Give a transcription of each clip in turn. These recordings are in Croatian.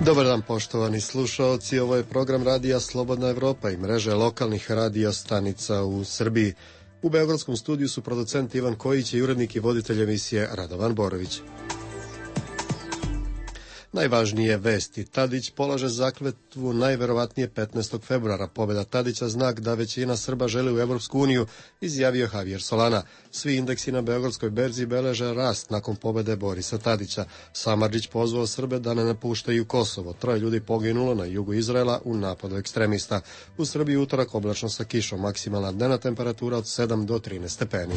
Dobar dan poštovani slušaoci, ovo je program Radija Slobodna Evropa i mreže lokalnih radio stanica u Srbiji. U beogradskom studiju su producent Ivan Kojić i urednik i voditelj emisije Radovan Borović. Najvažnije vesti. Tadić polaže zakletvu najverovatnije 15. februara. Pobjeda Tadića znak da većina Srba želi u Evropsku uniju, izjavio Javier Solana. Svi indeksi na beogradskoj berzi beleže rast nakon pobjede Borisa Tadića. Samardžić pozvao Srbe da ne napuštaju Kosovo. 3 ljudi poginulo na jugu Izraela u napadu ekstremista. U Srbiji utorak oblačno sa kišom. Maksimalna dnevna temperatura od 7 do 13 stepeni.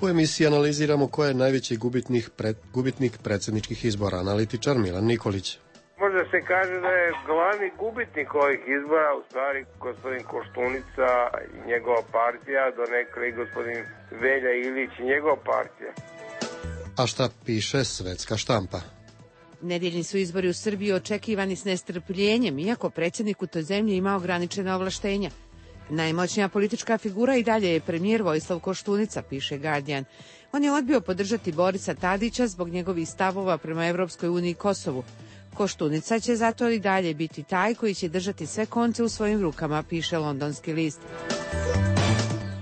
U emisiji analiziramo ko je najveći gubitnik predsjedničkih izbora, analitičar Milan Nikolić. Možda se kaže da je glavni gubitnik ovih izbora u stvari gospodin Koštunica i njegova partija, donekle i gospodin Velja Ilić i njegova partija. A šta piše svetska štampa? Nedjeljni su izbori u Srbiji očekivani s nestrpljenjem, iako predsjednik u toj zemlji ima ograničena ovlaštenja. Najmoćnija politička figura i dalje je premijer Vojislav Koštunica, piše Guardian. On je odbio podržati Borisa Tadića zbog njegovih stavova prema Evropskoj uniji i Kosovu. Koštunica će zato i dalje biti taj koji će držati sve konce u svojim rukama, piše londonski list.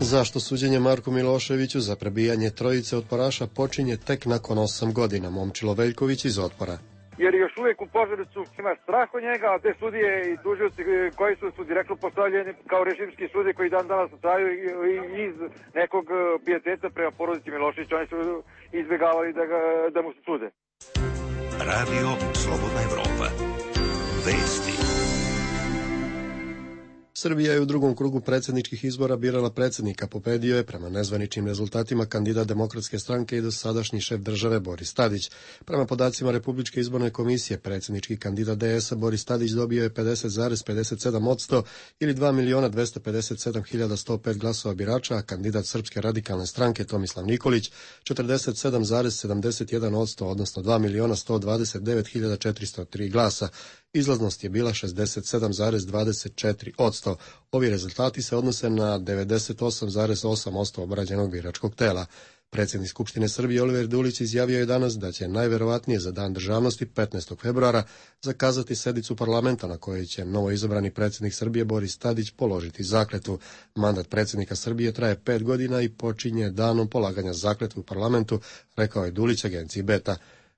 Zašto suđenje Marku Miloševiću za prebijanje trojice otporaša počinje tek nakon 8 godina? Momčilo Veljković iz Otpora. Jer još uvijek u Požarevcu ima strah od njega, a te sudije i tužioci koji su direktno postavljeni kao režimski sudije koji dan danas traju iz nekog pijeteta prema porodici Miloševića, oni su izbjegavali da mu se sude. Radio Slobodna Evropa. Vesti. Srbija je u drugom krugu predsjedničkih izbora birala predsjednika. Pobedio je prema nezvaničnim rezultatima kandidat Demokratske stranke i dosadašnji šef države Boris Tadić. Prema podacima Republičke izborne komisije, predsjednički kandidat DS-a Boris Tadić dobio je 50,57% ili 2.257.105 glasova birača, a kandidat Srpske radikalne stranke Tomislav Nikolić 47,71%, odnosno 2.129.403 glasa. Izlaznost je bila 67,24%. Ovi rezultati se odnose na 98,8% obrađenog biračkog tela. Predsjednik Skupštine Srbije Oliver Dulić izjavio je danas da će najverovatnije za Dan državnosti 15. februara zakazati sednicu parlamenta na kojoj će novoizabrani predsjednik Srbije Boris Tadić položiti zakletvu. Mandat predsjednika Srbije traje 5 godina i počinje danom polaganja zakletve u parlamentu, rekao je Dulić agenciji Beta.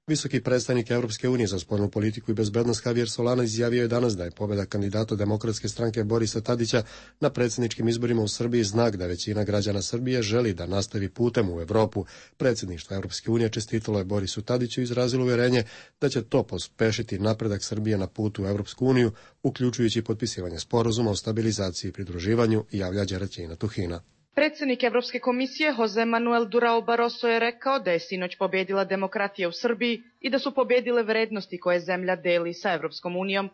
Visoki predstavnik Europske unije za spoljnu politiku i bezbednost Javier Solana izjavio je danas da je pobjeda kandidata Demokratske stranke Borisa Tadića na predsjedničkim izborima u Srbiji znak da većina građana Srbije želi da nastavi putem u Evropu. Predsjedništvo Europske unije čestitalo je Borisu Tadiću i izrazilo uvjerenje da će to pospešiti napredak Srbije na putu u Europsku uniju, uključujući potpisivanje sporazuma o stabilizaciji i pridruživanju, javlja Đeraćina Tuhina. Predsjednik Evropske komisije Jose Manuel Durao Barroso je rekao da je sinoć pobjedila demokratija u Srbiji i da su pobjedile vrednosti koje zemlja deli sa Evropskom unijom.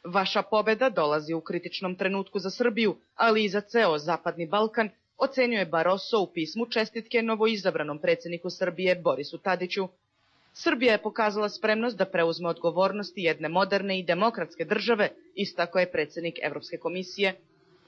Vaša pobjeda dolazi u kritičnom trenutku za Srbiju, ali i za ceo Zapadni Balkan, ocenjuje Barroso u pismu čestitke novoizabranom predsjedniku Srbije Borisu Tadiću. Srbija je pokazala spremnost da preuzme odgovornosti jedne moderne i demokratske države, istakao je predsjednik Evropske komisije.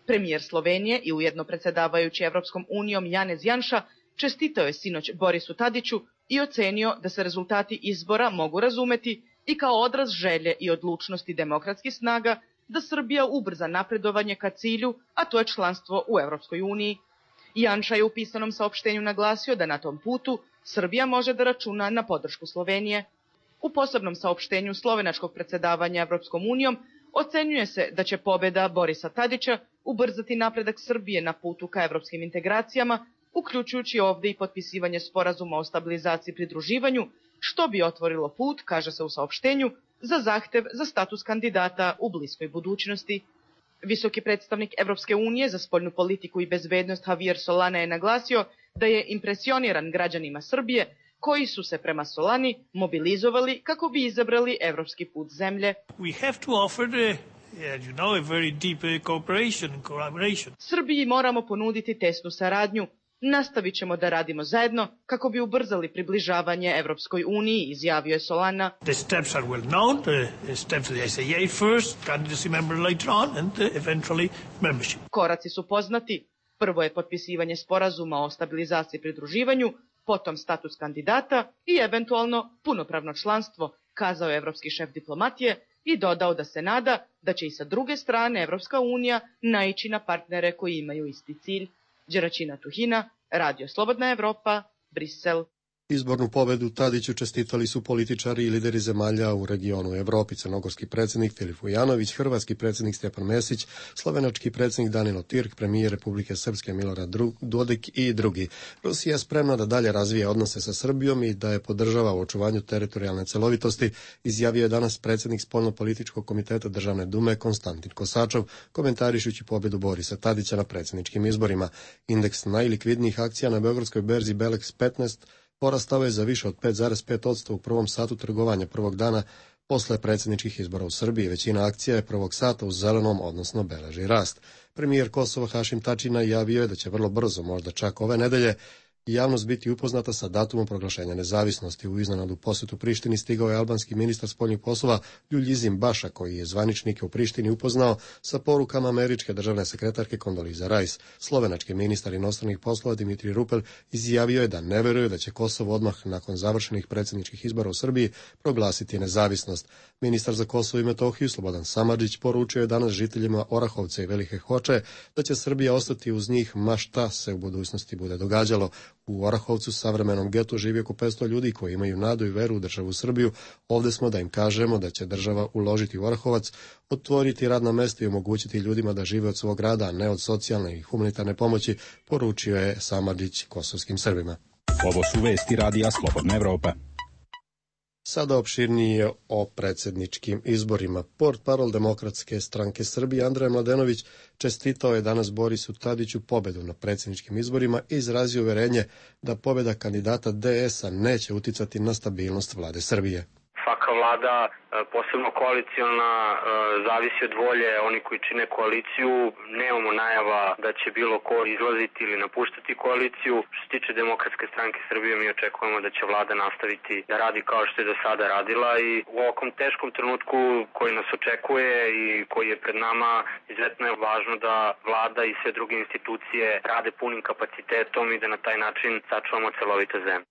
Premijer Slovenije i ujedno predsjedavajući Evropskom unijom Janez Janša čestitao je sinoć Borisu Tadiću i ocenio da se rezultati izbora mogu razumeti i kao odraz želje i odlučnosti demokratskih snaga da Srbija ubrza napredovanje ka cilju, a to je članstvo u Evropskoj uniji. Janša je u pisanom saopštenju naglasio da na tom putu Srbija može da računa na podršku Slovenije. U posebnom saopštenju slovenačkog predsjedavanja Evropskom unijom ocenjuje se da će pobjeda Borisa Tadića ubrzati napredak Srbije na putu ka evropskim integracijama, uključujući ovdje i potpisivanje sporazuma o stabilizaciji i pridruživanju, što bi otvorilo put, kaže se u saopštenju, za zahtev za status kandidata u bliskoj budućnosti. Visoki predstavnik Evropske unije za spoljnu politiku i bezbednost Javier Solana je naglasio da je impresioniran građanima Srbije koji su se prema Solani mobilizovali kako bi izabrali evropski put zemlje. Srbiji moramo ponuditi tesnu saradnju. Nastavit ćemo da radimo zajedno kako bi ubrzali približavanje Evropskoj uniji, izjavio je Solana. Koraci su poznati. Prvo je potpisivanje sporazuma o stabilizaciji i pridruživanju, potom status kandidata i eventualno punopravno članstvo, kazao je evropski šef diplomatije i dodao da se nada da će i sa druge strane Evropska unija naići na partnere koji imaju isti cilj. Đeraćina Tuhina, Radio Slobodna Evropa, Brisel. Izbornu pobedu Tadiću čestitali su političari i lideri zemalja u regionu Evropi, crnogorski predsjednik Filip Vujanović, hrvatski predsjednik Stjepan Mesić, slovenački predsjednik Danilo Türk, premijer Republike Srpske Milorad Dodik i drugi. Rusija je spremna da dalje razvije odnose sa Srbijom i da je podržava u očuvanju teritorijalne celovitosti, izjavio je danas predsjednik Spoljno-političkog komiteta Državne dume Konstantin Kosačov, komentarišući pobjedu Borisa Tadića na predsjedničkim izborima. Indeks najlikvidnijih akcija na beogradskoj berzi Belex 15 porastao je za više od 5,5% u prvom satu trgovanja prvog dana posle predsjedničkih izbora u Srbiji. Većina akcija je prvog sata u zelenom, odnosno beleži rast. Premijer Kosova Hašim Tači najavio je da će vrlo brzo, možda čak ove nedelje, javnost biti upoznata sa datumom proglašenja nezavisnosti. U iznenadnu posjetu Prištini stigao je albanski ministar spoljnih poslova Ljuljizim Baša, koji je zvaničnike u Prištini upoznao sa porukama američke državne sekretarke Kondoliza Rice. Slovenački ministar inostranih poslova Dimitri Rupel izjavio je da ne veruje da će Kosovo odmah nakon završenih predsjedničkih izbora u Srbiji proglasiti nezavisnost. Ministar za Kosovo i Metohiju Slobodan Samardžić poručio je danas žiteljima Orahovca i Velike Hoče da će Srbija ostati uz njih ma šta se u budućnosti bude događalo. U Orahovcu, savremenom getu, živi oko 500 ljudi koji imaju nadu i veru u državu Srbiju. Ovdje smo da im kažemo da će država uložiti u Orahovac, otvoriti radna mesta i omogućiti ljudima da žive od svog rada, a ne od socijalne i humanitarne pomoći, poručio je Samardžić kosovskim Srbima. Ovo su vesti Radija Slobodna Evropa. Sada opširnije o predsjedničkim izborima. Portparol Demokratske stranke Srbije Andrej Mladenović čestitao je danas Borisu Tadiću pobedu na predsjedničkim izborima i izrazio uverenje da pobjeda kandidata DS-a neće uticati na stabilnost vlade Srbije. Svaka vlada, posebno koaliciona, zavisi od volje oni koji čine koaliciju. Nemamo najava da će bilo ko izlaziti ili napuštati koaliciju. Što se tiče Demokratske stranke Srbije, mi očekujemo da će vlada nastaviti da radi kao što je do sada radila i u ovakvom teškom trenutku koji nas očekuje i koji je pred nama, izuzetno je važno da vlada i sve druge institucije rade punim kapacitetom i da na taj način sačuvamo celovite zemlje.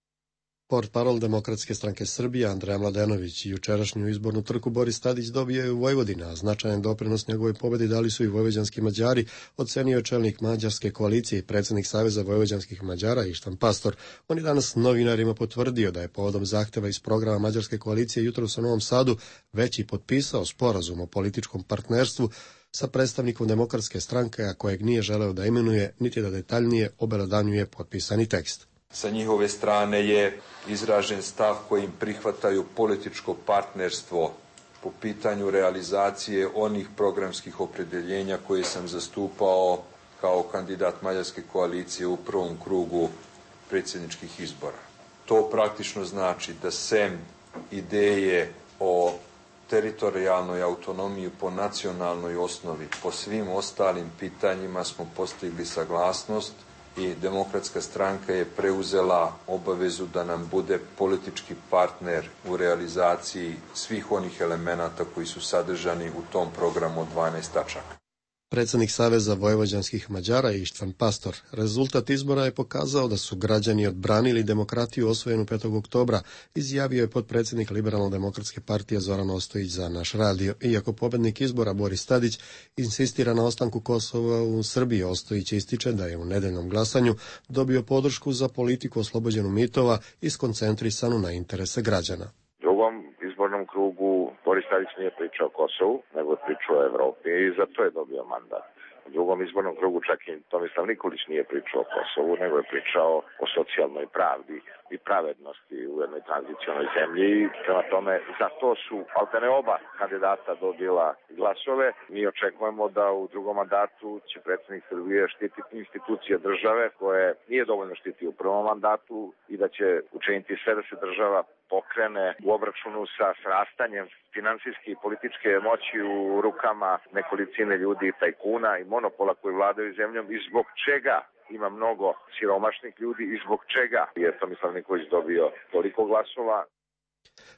Portparol Demokratske stranke Srbije Andrej Mladenović i jučerašnju izbornu trku Boris Tadić dobio je u Vojvodini, a značajan doprinos njegovoj pobjedi dali su i vojvođanski Mađari, ocenio je čelnik Mađarske koalicije i predsjednik Saveza vojvođanskih Mađara Ištvan Pastor. On je danas novinarima potvrdio da je povodom zahteva iz programa Mađarske koalicije jutros u Novom Sadu već i potpisao sporazum o političkom partnerstvu sa predstavnikom Demokratske stranke, a kojeg nije želeo da imenuje niti da detaljnije obelodanjuje potpisani tekst. Sa njihove strane je izražen stav kojim prihvataju političko partnerstvo po pitanju realizacije onih programskih opredjeljenja koje sam zastupao kao kandidat Mađarske koalicije u prvom krugu predsjedničkih izbora. To praktično znači da sem ideje o teritorijalnoj autonomiji po nacionalnoj osnovi, po svim ostalim pitanjima smo postigli saglasnost i Demokratska stranka je preuzela obavezu da nam bude politički partner u realizaciji svih onih elemenata koji su sadržani u tom programu od 12 tačaka. Predsjednik Saveza vojvođanskih Mađara Ištvan Pastor. Rezultat izbora je pokazao da su građani odbranili demokratiju osvojenu 5. oktobra, izjavio je potpredsjednik Liberalno-demokratske partije Zoran Ostojić za Naš radio. Iako pobjednik izbora Boris Tadić insistira na ostanku Kosova u Srbiji, Ostojić ističe da je u nedeljnom glasanju dobio podršku za politiku oslobođenu mitova i skoncentrisanu na interese građana. Izbornom krugu Boris Tadić nije pričao o Kosovu, nego je pričao o Evropi i zato je dobio mandat. U drugom izbornom krugu čak i Tomislav Nikolić nije pričao o Kosovu, nego je pričao o socijalnoj pravdi i pravednosti u jednoj tranzicionoj zemlji. Prema tome, za to su alterne oba kandidata dobila glasove. Mi očekujemo da u drugom mandatu će predsjednik Srbije štititi institucije države koje nije dovoljno štiti u prvom mandatu i da će učiniti sve da se država pokrene u obračunu sa rastanjem finansijske i političke moći u rukama nekolicine ljudi i tajkuna i monopola koji vladaju zemljom i zbog čega ima mnogo siromašnih ljudi i zbog čega je Tomislav Nikolić dobio toliko glasova.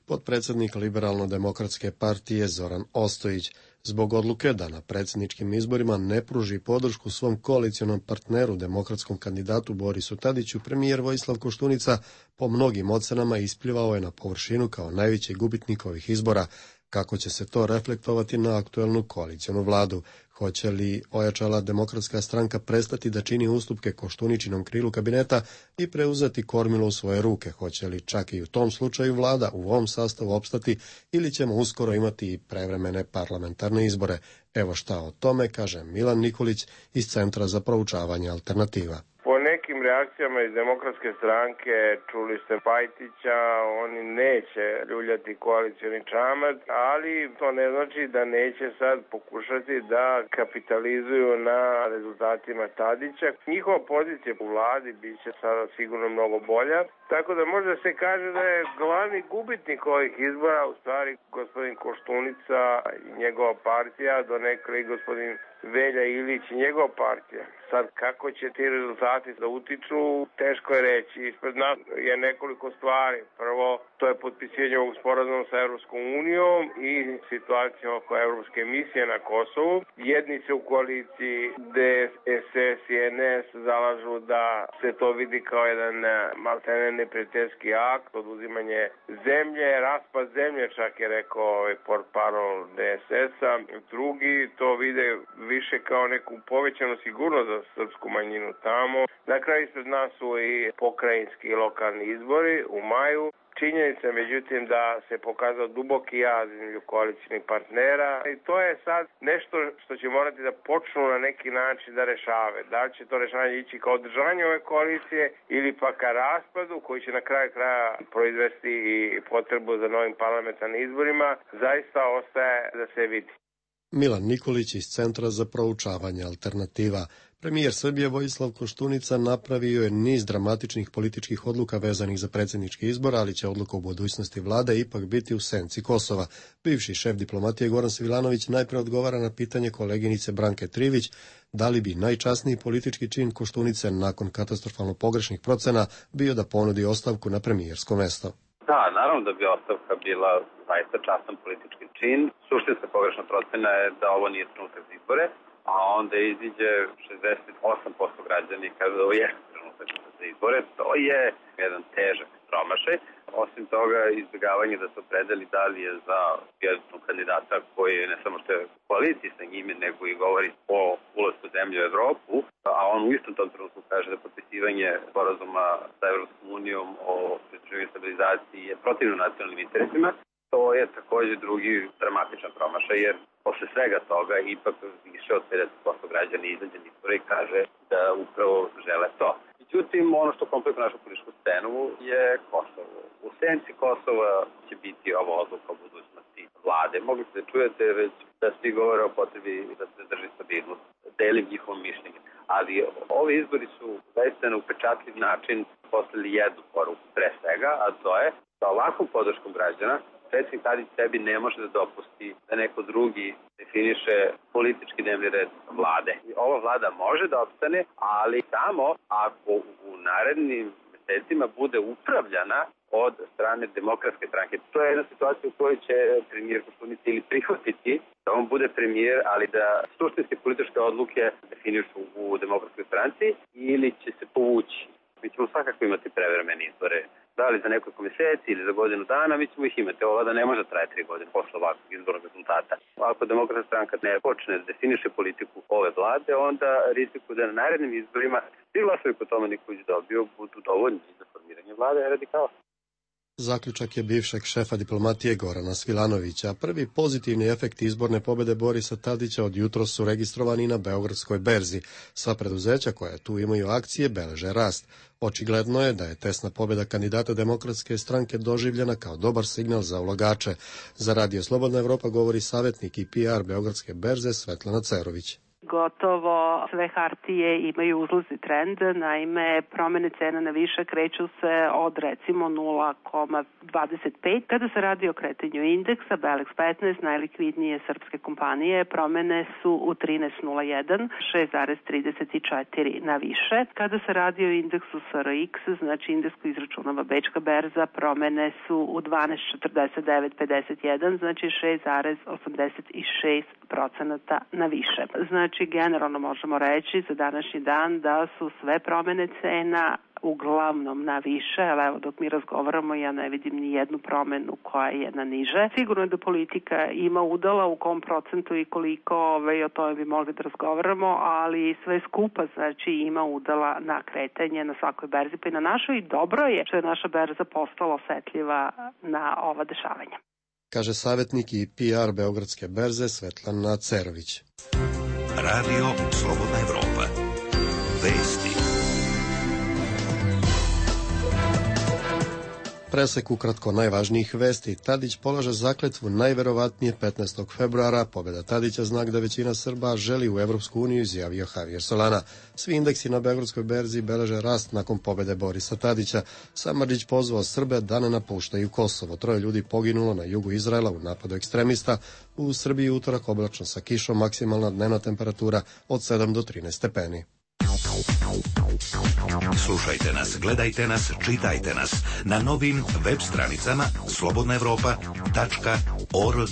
Potpredsjednik Liberalno-demokratske partije Zoran Ostojić. Zbog odluke da na predsjedničkim izborima ne pruži podršku svom koalicionom partneru, demokratskom kandidatu Borisu Tadiću, premijer Vojislav Koštunica po mnogim ocenama isplivao je na površinu kao najveći gubitnik ovih izbora. Kako će se to reflektovati na aktuelnu koalicionu vladu? Hoće li ojačala demokratska stranka prestati da čini ustupke Koštuničinom krilu kabineta i preuzeti kormilo u svoje ruke? Hoće li čak i u tom slučaju vlada u ovom sastavu opstati ili ćemo uskoro imati i prevremene parlamentarne izbore? Evo šta o tome kaže Milan Nikolić iz Centra za proučavanje alternativa. Po nekim reakcijama iz demokratske stranke, čuli ste Pajtića, oni neće ljuljati koalicioni čamac, ali to ne znači da neće sad pokušati da kapitalizuju na rezultatima Tadića. Njihova pozicija u vladi bit će sada sigurno mnogo bolja, tako da možda se kaže da je glavni gubitnik ovih izbora u stvari gospodin Koštunica i njegova partija, donekle i gospodin Velja Ilić i njegova partija. Sad, kako će ti rezultati da utiču, teško je reći. Ispred nas je nekoliko stvari. Prvo, to je potpisivanje ovog sporazuma sa Evropskom unijom i situacija oko Evropske misije na Kosovu. Jedni se u koaliciji DSS i NS zalažu da se to vidi kao jedan maltene neprijateljski akt, oduzimanje zemlje, raspad zemlje, čak je rekao portparol DSS-a. Drugi to vide više kao neku povećanu sigurnost za srpsku manjinu tamo. Na kraju ispred nas su i pokrajinski i lokalni izbori u maju. Činjenica je međutim da se pokazao duboki jaz između koalicijnih partnera i to je sad nešto što će morati da počnu na neki način da rešave. Da li će to rešavanje ići kao održanje ove koalicije ili pa ka raspadu koji će na kraju kraja proizvesti i potrebu za novim parlamentarnim izborima, zaista ostaje da se vidi. Milan Nikolić iz Centra za proučavanje alternativa. Premijer Srbije Vojislav Koštunica napravio je niz dramatičnih političkih odluka vezanih za predsjednički izbor, ali će odluka u budućnosti vlade ipak biti u senci Kosova. Bivši šef diplomatije Goran Svilanović najpre odgovara na pitanje koleginice Branke Trivić da li bi najčasniji politički čin Koštunice nakon katastrofalno pogrešnih procena bio da ponudi ostavku na premijersko mesto. Da, naravno da bi ostavka bila zaista častan politički čin. Suštinska pogrešna procena je da ovo nije trenutak za izbore, a onda iziđe 68% građana i kaže da ovo je trenutak za izbore. To je jedan težak promašaj. Osim toga, izbjegavanje da se opredeli da li je za jednog kandidata koji ne samo što je u koaliciji sa njime, nego i govori o ulasku zemlje u Evropu, a on u istom tom trenutku kaže da potpisivanje sporazuma sa Evropskom unijom o pridruživanju stabilizaciji je protivno nacionalnim interesima. To je također drugi dramatičan promašaj, jer posle svega toga ipak više od 50% građana izađe na izbore i kaže da upravo žele to. Međutim, ono što komplikuje našu političku scenu je Kosovo. U senci Kosova će biti ova odluka o budućnosti vlade. Mogli ste da čujete već da svi govore o potrebi da se drži stabilnost. Delim njihovo mišljenje. Ali ovi izbori su zaista na upečatljiv način poslali jednu poruku pre svega, a to je da ovakvom podrškom građana predsjednik Tadić sebi ne može da dopusti da neko drugi definiše politički dnevni red vlade. Ova vlada može da opstane, ali samo ako u narednim mesecima bude upravljana od strane demokratske stranke. To je jedna situacija u kojoj će premijer Koštunica ili prihvatiti da on bude premijer, ali da suštinske političke odluke definišu u demokratskoj stranci ili će se povući. Mi ćemo svakako imati prevremene izbore. Da li za nekoliko mjeseci ili za godinu dana, mi ćemo ih imati. Ova vlada ne može traje 3 godine posle ovakvog izbornog rezultata. Ako demokratska stranka ne počne da definiše politiku ove vlade, onda riziku da na narednim izborima svi glasovi po tome Nikolić dobio budu dovoljni za formiranje vlade radikala. Zaključak je bivšeg šefa diplomatije Gorana Svilanovića. Prvi pozitivni efekti izborne pobjede Borisa Tadića od jutros su registrovani na Beogradskoj berzi. Sva preduzeća koja tu imaju akcije beleže rast. Očigledno je da je tesna pobjeda kandidata demokratske stranke doživljena kao dobar signal za ulagače. Za Radio Slobodna Evropa govori savjetnik i PR Beogradske berze Svetlana Cerović. gotovo sve hartije imaju uzlazni trend, naime promene cena na više kreću se od recimo 0,25. Kada se radi o kretanju indeksa, Belex 15, najlikvidnije srpske kompanije, promene su u 13,01, 6,34 na više. Kada se radi o indeksu SRX, znači indeks koji izračunava Bečka berza, promene su u 12,49,51, znači 6,86% na više. Znači, generalno možemo reći za današnji dan da su sve promene cena uglavnom na više, ali evo dok mi razgovaramo ja ne vidim ni jednu promenu koja je na niže. Sigurno je da politika ima udala u kom procentu i koliko, o tome bi mogli da razgovaramo, ali sve skupa znači ima udala na kretanje na svakoj berzi pa i na našoj i dobro je što je naša berza postala osetljiva na ova dešavanja. Kaže savjetnik i PR Beogradske berze Svetlana Cerović. Radio Slobodna Evropa. Vesti. Presek ukratko najvažnijih vesti. Tadić polaže zakletvu najverovatnije 15. februara. Pobjeda Tadića znak da većina Srba želi u Evropsku uniju, izjavio Javier Solana. Svi indeksi na Beogradskoj berzi beleže rast nakon pobjede Borisa Tadića. Samardžić pozvao Srbe da ne napuštaju Kosovo. 3 ljudi poginulo na jugu Izraela u napadu ekstremista. U Srbiji utorak oblačno sa kišom, maksimalna dnevna temperatura od 7 do 13 stepeni. Slušajte nas, gledajte nas, čitajte nas na novim web stranicama slobodnaevropa.org.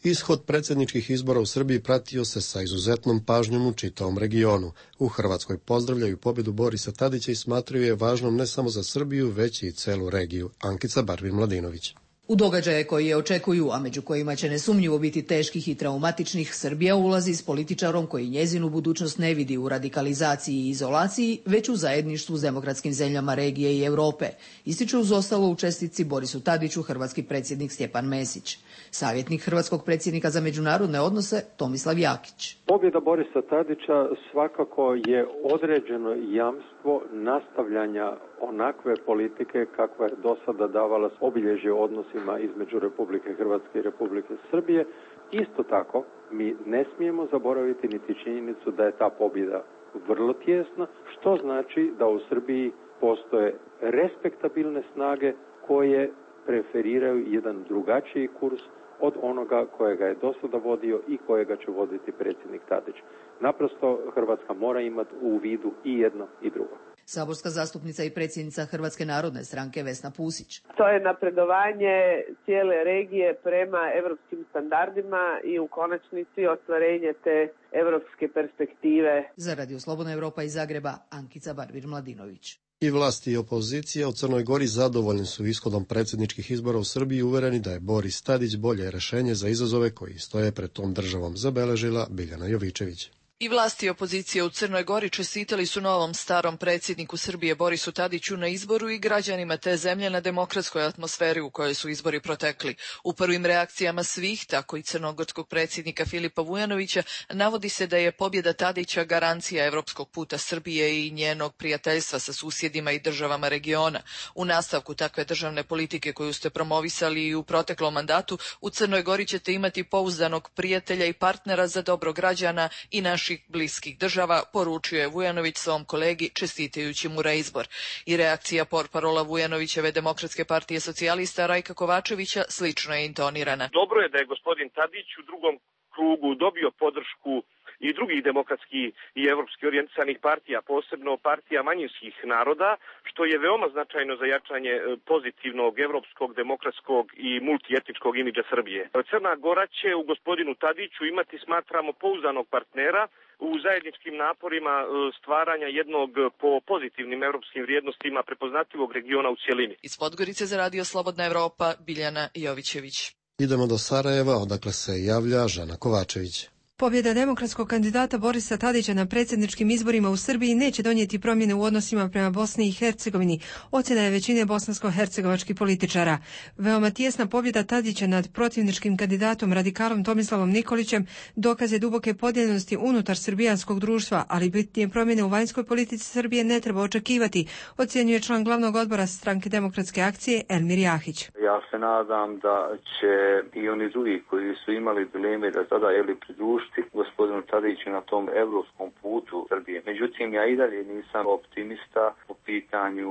Ishod predsjedničkih izbora u Srbiji pratio se sa izuzetnom pažnjom u čitavom regionu. U Hrvatskoj pozdravljaju pobjedu Borisa Tadića i smatraju je važnom ne samo za Srbiju, već i celu regiju. Ankica Barbin-Mladinović. U događaje koji je očekuju, a među kojima će nesumnjivo biti teških i traumatičnih, Srbija ulazi s političarom koji njezinu budućnost ne vidi u radikalizaciji i izolaciji, već u zajedništvu s demokratskim zemljama regije i Europe, ističu uz ostalo u čestitci Borisu Tadiću hrvatski predsjednik Stjepan Mesić. Savjetnik hrvatskog predsjednika za međunarodne odnose Tomislav Jakić. Pobjeda Borisa Tadića svakako je određeno jamstvo nastavljanja onakve politike kakva je do sada davala obilježje odnosima između Republike Hrvatske i Republike Srbije. Isto tako, mi ne smijemo zaboraviti niti činjenicu da je ta pobjeda vrlo tjesna, što znači da u Srbiji postoje respektabilne snage koje preferiraju jedan drugačiji kurs od onoga kojega je do sada vodio i kojega će voditi predsjednik Tadić. Naprosto Hrvatska mora imati u vidu i jedno i drugo. Saborska zastupnica i predsjednica Hrvatske narodne stranke Vesna Pusić. To je napredovanje cijele regije prema evropskim standardima i u konačnici ostvarenje te evropske perspektive. Za Radio Slobodna Evropa iz Zagreba, Ankica Barbir-Mladinović. I vlasti i opozicija u Crnoj Gori zadovoljni su ishodom predsjedničkih izbora u Srbiji i uvereni da je Boris Tadić bolje rješenje za izazove koji stoje pred tom državom, zabeležila Biljana Jovičević. I vlasti i opozicije u Crnoj Gori čestitali su novom starom predsjedniku Srbije Borisu Tadiću na izboru i građanima te zemlje na demokratskoj atmosferi u kojoj su izbori protekli. U prvim reakcijama svih, tako i crnogorskog predsjednika Filipa Vujanovića, navodi se da je pobjeda Tadića garancija evropskog puta Srbije i njenog prijateljstva sa susjedima i državama regiona. U nastavku takve državne politike koju ste promovisali i u proteklom mandatu, u Crnoj Gori ćete imati pouzdanog prijatelja i partnera za dobro građana i naših bliskih država, poručio je Vujanović svom kolegi čestitajući mu reizbor. I reakcija portparola Vujanovićeve Demokratske partije socijalista Rajka Kovačevića slično je intonirana. Dobro je da je gospodin Tadić u drugom krugu dobio podršku i drugih demokratskih i evropski orijentisanih partija, posebno partija manjinskih naroda, što je veoma značajno za jačanje pozitivnog evropskog, demokratskog i multietničkog imidža Srbije. Crna Gora će u gospodinu Tadiću imati, smatramo, pouzdanog partnera u zajedničkim naporima stvaranja jednog po pozitivnim evropskim vrijednostima prepoznatljivog regiona u cjelini. Iz Podgorice za Radio Slobodna Evropa, Biljana Jovićević. Idemo do Sarajeva, odakle se javlja Žana Kovačević. Pobjeda demokratskog kandidata Borisa Tadića na predsjedničkim izborima u Srbiji neće donijeti promjene u odnosima prema Bosni i Hercegovini, ocjena je većine bosansko-hercegovačkih političara. Veoma tijesna pobjeda Tadića nad protivničkim kandidatom radikalom Tomislavom Nikolićem dokaz je duboke podijeljenosti unutar srbijanskog društva, ali bitnije promjene u vanjskoj politici Srbije ne treba očekivati, ocjenjuje član glavnog odbora Stranke demokratske akcije Elmir Jahić. Ja se nadam da će i oni drugi koji su imali dileme da tada pridružiti gospodinu Tadiću na tom evropskom putu Srbije. Međutim, ja i dalje nisam optimista po pitanju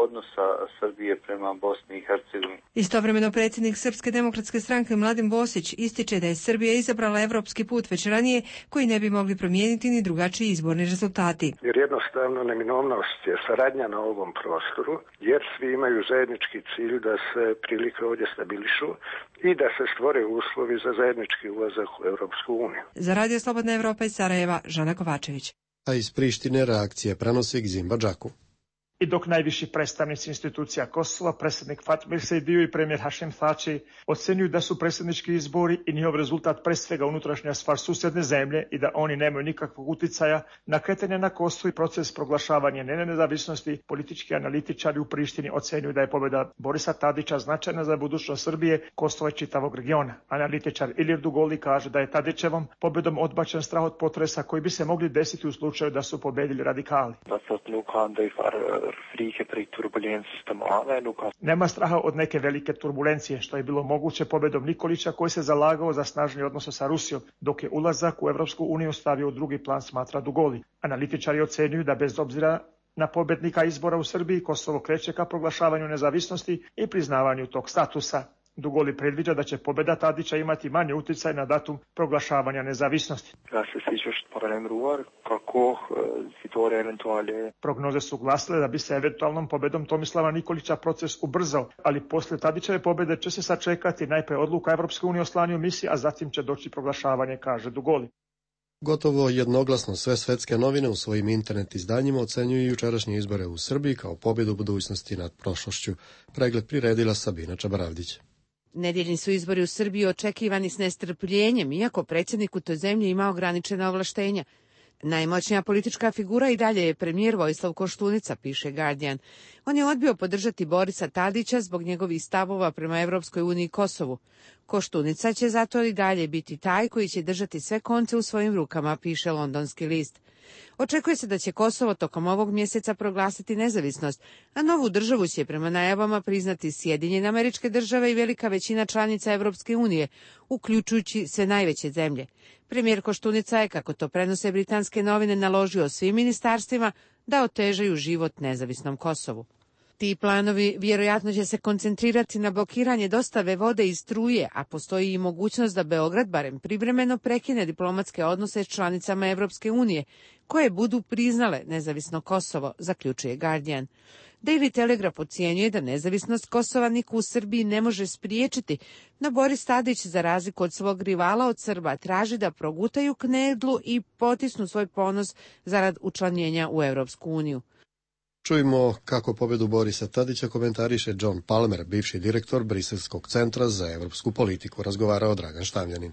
odnosa Srbije prema Bosni i Hercegovini. Istovremeno predsjednik Srpske demokratske stranke Mladen Bosić ističe da je Srbija izabrala evropski put već ranije koji ne bi mogli promijeniti ni drugačiji izborni rezultati. Jer jednostavno neminovnost je saradnja na ovom prostoru, jer svi imaju zajednički cilj da se prilike ovdje stabilišu i da se stvore uslovi za zajednički ulazak u Europsku uniju. Za Radio Slobodna Evropa iz Sarajeva, Žana Kovačević. A iz Prištine reakcije prenosi Gzimba Džaku. I dok najviši predstavnici institucija Kosova, predsjednik Fatmir Sejdiu i premijer Hašim Thači ocenjuju da su predsjednički izbori i njihov rezultat pre svega unutrašnja stvar susjedne zemlje i da oni nemaju nikakvog uticaja na kretanje na Kosovu i proces proglašavanja njene nezavisnosti, politički analitičari u Prištini ocenjuju da je pobjeda Borisa Tadića značajna za budućnost Srbije, Kosova i čitavog regiona. Analitičar Ilir Dugoli kaže da je Tadićevom pobjedom odbačen strah od potresa koji bi se mogli desiti u slučaju da su pobjedili radikali. Nema straha od neke velike turbulencije, što je bilo moguće pobjedom Nikolića koji se zalagao za snažni odnose sa Rusijom, dok je ulazak u Evropsku uniju stavio u drugi plan, smatra Dugoli. Analitičari ocenjuju da bez obzira na pobjednika izbora u Srbiji, Kosovo kreće ka proglašavanju nezavisnosti i priznavanju tog statusa. Dugoli predviđa da će pobjeda Tadića imati manje utjecaj na datum proglašavanja nezavisnosti. Prognoze su glasile da bi se eventualnom pobjedom Tomislava Nikolića proces ubrzao, ali poslije Tadićeve pobjede će se sačekati najprije odluka Evropske unije o slanju misije, a zatim će doći proglašavanje, kaže Dugoli. Gotovo jednoglasno sve svetske novine u svojim internet izdanjima ocenjuju jučerašnje izbore u Srbiji kao pobjedu budućnosti nad prošlošću. Pregled priredila Sabina Čabaravdić. Nedjeljni su izbori u Srbiji očekivani s nestrpljenjem, iako predsjednik u toj zemlji ima ograničena ovlaštenja. Najmoćnija politička figura i dalje je premijer Vojislav Koštunica, piše Guardian. On je odbio podržati Borisa Tadića zbog njegovih stavova prema Evropskoj uniji i Kosovu. Koštunica će zato i dalje biti taj koji će držati sve konce u svojim rukama, piše Londonski list. Očekuje se da će Kosovo tokom ovog mjeseca proglasiti nezavisnost, a novu državu će prema najavama priznati Sjedinjene Američke Države i velika većina članica Evropske unije, uključujući sve najveće zemlje. Premijer Koštunica je, kako to prenose britanske novine, naložio svim ministarstvima da otežaju život nezavisnom Kosovu. Ti planovi vjerojatno će se koncentrirati na blokiranje dostave vode i struje, a postoji i mogućnost da Beograd barem privremeno prekine diplomatske odnose s članicama Evropske unije, koje budu priznale nezavisno Kosovo, zaključuje Guardian. Daily Telegraph ocjenjuje da nezavisnost Kosova niko u Srbiji ne može spriječiti, no Boris Tadić, za razliku od svog rivala od Srba, traži da progutaju knedlu i potisnu svoj ponos zarad učlanjenja u Evropsku uniju. Čujmo kako pobjedu Borisa Tadića komentariše John Palmer, bivši direktor Briselskog centra za evropsku politiku, razgovarao Dragan Štavljanin.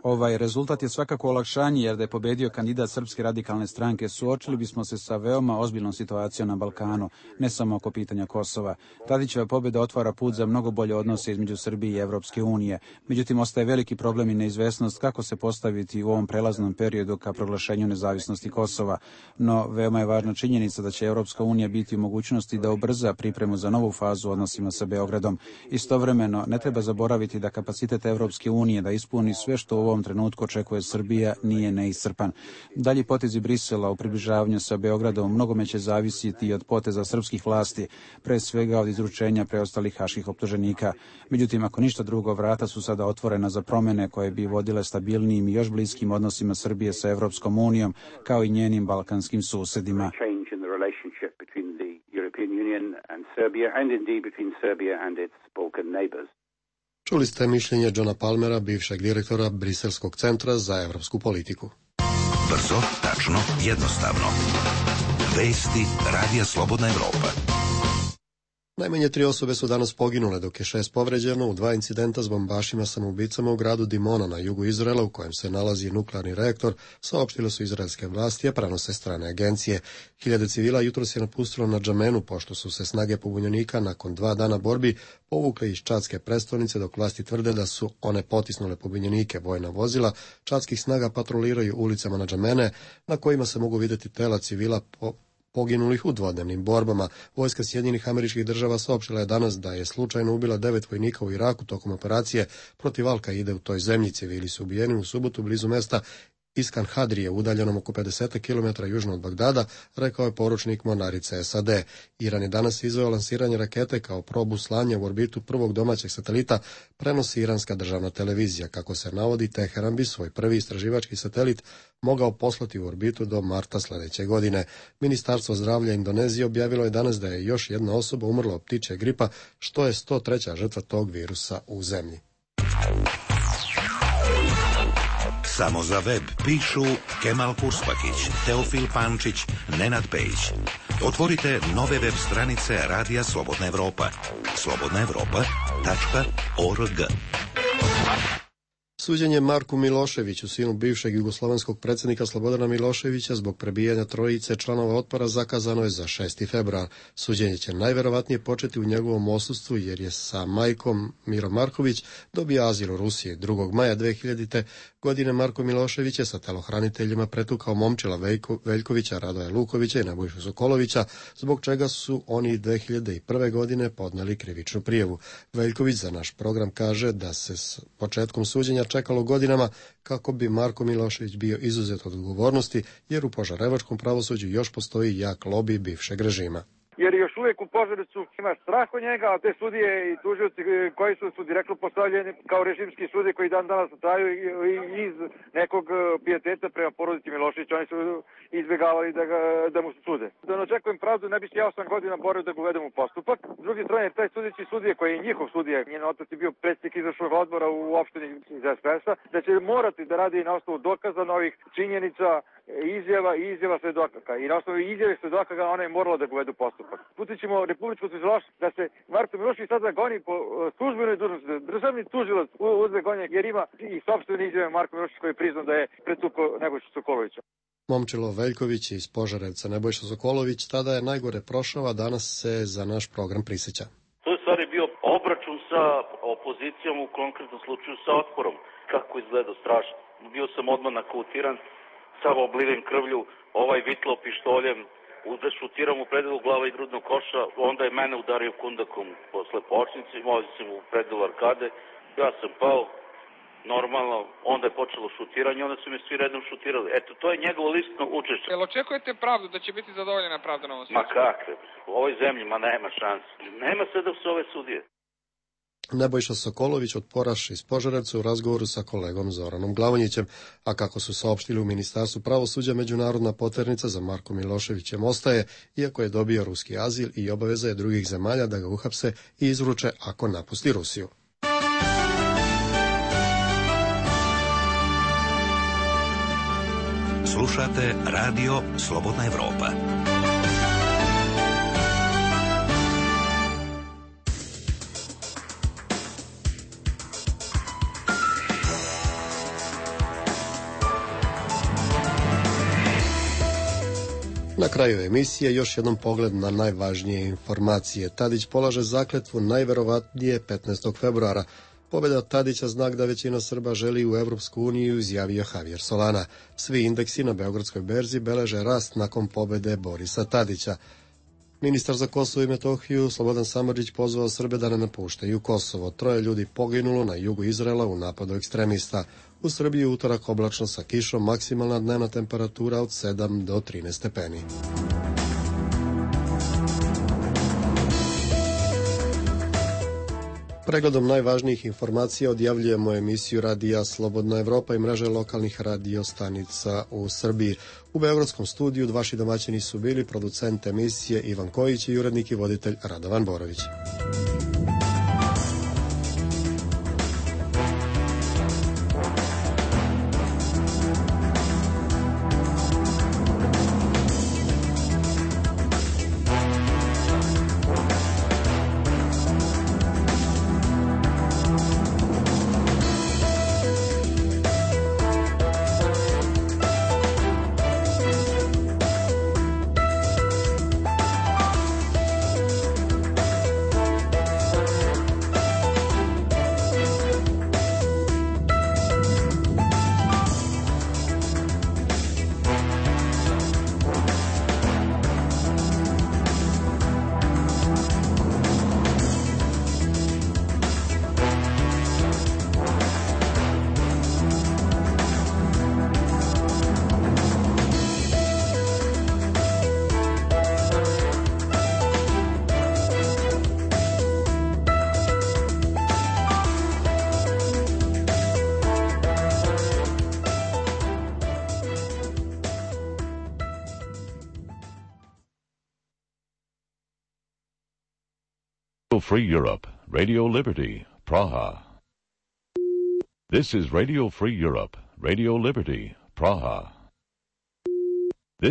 Ovaj rezultat je svakako olakšanje, jer da je pobjedio kandidat Srpske radikalne stranke, suočili bismo se sa veoma ozbiljnom situacijom na Balkanu, ne samo oko pitanja Kosova. Tadićeva pobjeda otvara put za mnogo bolje odnose između Srbije i Evropske unije. Međutim, ostaje veliki problem i neizvesnost kako se postaviti u ovom prelaznom periodu ka proglašenju nezavisnosti Kosova. No, veoma je važna činjenica da će Evropska unija biti u mogućnosti da ubrza pripremu za novu fazu u odnosima sa Beogradom. Istovremeno, ne treba zaboraviti da kapacitet Evropske unije da ispuni sve što u ovom trenutku očekuje Srbija nije neiscrpan. Dalji potezi Brisela u približavanju sa Beogradom mnogome će zavisiti od poteza srpskih vlasti, pre svega od izručenja preostalih haških optuženika. Međutim, ako ništa drugo, vrata su sada otvorena za promjene koje bi vodile stabilnijim i još bliskim odnosima Srbije sa Evropskom unijom, kao i njenim balkanskim susjedima. Čuli ste mišljenje Johna Palmera, bivšeg direktora Briselskog centra za evropsku politiku. Brzo, tačno, jednostavno. Vesti Radija Slobodna Evropa. Najmanje 3 osobe su danas poginule, dok je 6 povređeno u 2 incidenta s bombašima samoubicama u gradu Dimona na jugu Izraela, u kojem se nalazi nuklearni reaktor, saopštile su izraelske vlasti, a prenose strane agencije. Hiljade civila jutros je napustilo na Džamenu, pošto su se snage pobunjenika nakon 2 dana borbi povukle iz čadske prestolnice, dok vlasti tvrde da su one potisnule pobunjenike. Vojna vozila čadskih snaga patroliraju ulicama na Džamene, na kojima se mogu vidjeti tela civila poginulih u dvodnevnim borbama. Vojska Sjedinjenih Američkih Država saopštila je danas da je slučajno ubila 9 vojnika u Iraku tokom operacije protiv Al-Kaide u toj zemlji. Civili su ubijeni u subotu blizu mesta Iskan Hadrije, udaljenom oko 50 km južno od Bagdada, rekao je poručnik mornarice SAD. Iran je danas izveo lansiranje rakete kao probu slanja u orbitu prvog domaćeg satelita, prenosi iranska državna televizija. Kako se navodi, Teheran bi svoj prvi istraživački satelit mogao poslati u orbitu do marta sljedeće godine. Ministarstvo zdravlja Indonezije objavilo je danas da je još jedna osoba umrla od ptičjeg gripa, što je 103. žrtva tog virusa u zemlji. Samo za web pišu Kemal Kurspakić, Teofil Pančić, Nenad Pejić. Otvorite nove web stranice Radija Slobodna Evropa. slobodnaevropa.org. Suđenje Marku Miloševiću, sinu bivšeg jugoslovenskog predsjednika Slobodana Miloševića, zbog prebijanja trojice članova otpora zakazano je za 6. februar. Suđenje će najverovatnije početi u njegovom odsustvu, jer je sa majkom Miro Marković dobio azil u Rusiji. 2. maja 2000. godine Marko Milošević je sa telohraniteljima pretukao Momčila Veljkovića, Radoja Lukovića i Nebojšu Sokolovića, zbog čega su oni 2001. godine podneli krivičnu prijavu. Veljković za naš program kaže da se s početkom suđenja čekalo godinama kako bi Marko Milošević bio izuzet od odgovornosti, jer u požarevačkom pravosuđu još postoji jak lobi bivšeg režima. Jer još uvijek u Požarevcu ima strah od njega, a te sudije i tužioci koji su direktno postavljeni kao režimski sudije koji dan danas traju iz nekog pijeteta prema porodici Miloševića, oni su izbjegavali da mu sude. Da ne očekujem pravdu, ne bi se ja 8 godina borio da ga uvedem u postupak. S druge strane, taj sudeći sudije koji je njihov sudija, njen otac je bio predsjednik izvršnog odbora u opštini iz SPS-a, da će morati da radi na osnovu dokaza novih činjenica, izjava svedoka. I na osnovu izjave svedoka ona je morala da ga uvedu u postupak. Putit ćemo Republičku tužilaštvo da se Marko Milošević sada goni po službenoj dužnosti. Državni tužilac uzme gonje jer ima i sopstvene izjave Marko Milošević koji je priznao da je pretukao Nebojšu Sokolovića. Momčilo Veljković iz Požarevca, Nebojša Sokolović, tada je najgore prošao, a danas se za naš program prisjeća. To je stvari bio obračun sa opozicijom, u konkretnom slučaju sa otporom. Kako izgleda strašno. Bio sam odmah nakautiran, sav obliven krvlju, ovaj vitlo pištoljem, da šutiram u predelu glava i grudnog koša, onda je mene udario kundakom posle počnice, vozio sam u predelu arkade, ja sam pao, normalno, onda je počelo šutiranje, onda su me svi redom šutirali. Eto, to je njegovo listno učešće. Jel očekujete pravdu, da će biti zadovoljena pravda na ovom svijetu? Ma kakve, u ovoj zemlji, ma nema šanse. Nema sve da su ove sudije. Nebojša Sokolović, otporaš iz Požarevca, u razgovoru sa kolegom Zoranom Glavonjićem, a kako su saopštili u Ministarstvu pravosuđa, međunarodna poternica za Markom Miloševićem ostaje, iako je dobio ruski azil i obaveza je drugih zemalja da ga uhapse i izruče ako napusti Rusiju. Slušate Radio Slobodna Evropa. Na kraju emisije još jednom pogled na najvažnije informacije. Tadić polaže zakletvu najverovatnije 15. februara. Pobjeda Tadića znak da većina Srba želi u Evropsku uniju, izjavio Javier Solana. Svi indeksi na Beogradskoj berzi beleže rast nakon pobjede Borisa Tadića. Ministar za Kosovo i Metohiju Slobodan Samardžić pozvao Srbe da ne napuštaju Kosovo. 3 ljudi poginulo na jugu Izraela u napadu ekstremista. U Srbiji utorak oblačno sa kišom, maksimalna dnevna temperatura od 7 do 13 stepeni. Pregledom najvažnijih informacija odjavljujemo emisiju Radija Slobodna Evropa i mreže lokalnih radiostanica u Srbiji. U Beogradskom studiju vaši domaćini su bili producent emisije Ivan Kojić i urednik i voditelj Radovan Borović. Radio Free Europe, Radio Liberty, Praha. This is Radio Free Europe, Radio Liberty, Praha.